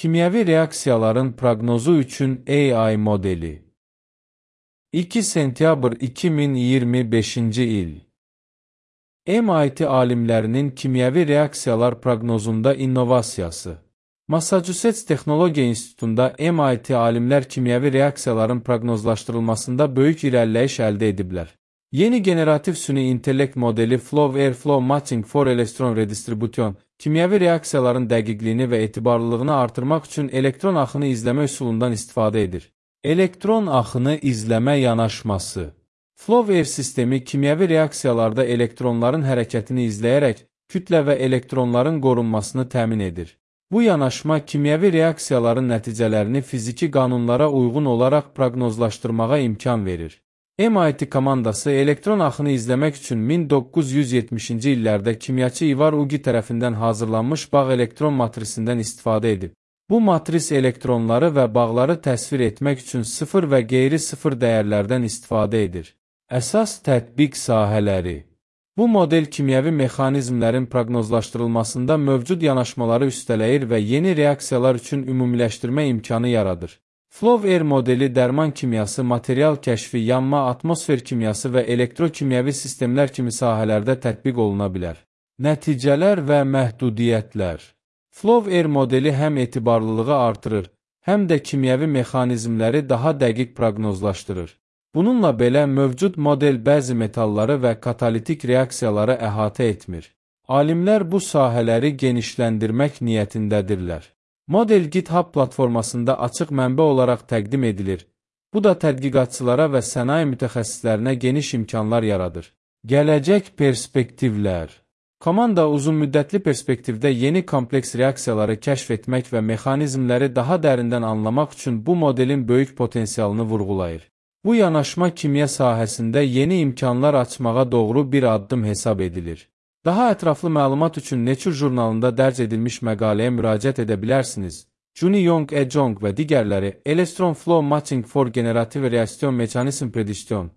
Kimyəvi reaksiyaların proqnozu üçün AI modeli. 2 sentyabr 2025-ci il. MIT alimlərinin kimyəvi reaksiyalar proqnozunda innovasiyası. Massachusetts Texnologiya İnstitutunda MIT alimlər kimyəvi reaksiyaların proqnozlaşdırılmasında böyük irəliləyiş əldə ediblər. Yeni generativ süni intellekt modeli Flow Matching for Electron Redistribution, kimyəvi reaksiyaların dəqiqliyini və etibarlılığını artırmaq üçün elektron axını izləmə üsulundan istifadə edir. Elektron axını izləmə yanaşması. Flow sistemi kimyəvi reaksiyalarda elektronların hərəkətini izləyərək kütlə və elektronların qorunmasını təmin edir. Bu yanaşma kimyəvi reaksiyaların nəticələrini fiziki qanunlara uyğun olaraq proqnozlaşdırmağa imkan verir. MIT komandası elektron axını izləmək üçün 1970-ci illərdə kimyaçı Ivar Ugi tərəfindən hazırlanmış bağ elektron matrisindən istifadə edib. Bu matris elektronları və bağları təsvir etmək üçün sıfır və qeyri-sıfır dəyərlərdən istifadə edir. Əsas tətbiq sahələri. Bu model kimyəvi mexanizmlərin proqnozlaşdırılmasında mövcud yanaşmaları üstələyir və yeni reaksiyalar üçün ümumiləşdirmə imkanı yaradır. Flow modeli dərman kimyası, material kəşfi, yanma, atmosfer kimyası və elektrokimyəvi sistemlər kimi sahələrdə tətbiq oluna bilər. Nəticələr və məhdudiyyətlər. Flow modeli həm etibarlılığı artırır, həm də kimyəvi mexanizmləri daha dəqiq proqnozlaşdırır. Bununla belə mövcud model bəzi metalları və katalitik reaksiyaları əhatə etmir. Alimlər bu sahələri genişləndirmək niyyətindədirlər. Model GitHub platformasında açıq mənbə olaraq təqdim edilir. Bu da tədqiqatçılara və sənaye mütəxəssislərinə geniş imkanlar yaradır. Gələcək perspektivlər. Komanda uzunmüddətli perspektivdə yeni kompleks reaksiyaları kəşf etmək və mexanizmləri daha dərindən anlamaq üçün bu modelin böyük potensialını vurğulayır. Bu yanaşma kimya sahəsində yeni imkanlar açmağa doğru bir addım hesab edilir. Daha ətraflı məlumat üçün Nature jurnalında dərc edilmiş məqaləyə müraciət edə bilərsiniz. Juni Yong et al. Və digərləri Electron Flow Matching for Generative Reaction Mechanism Prediction.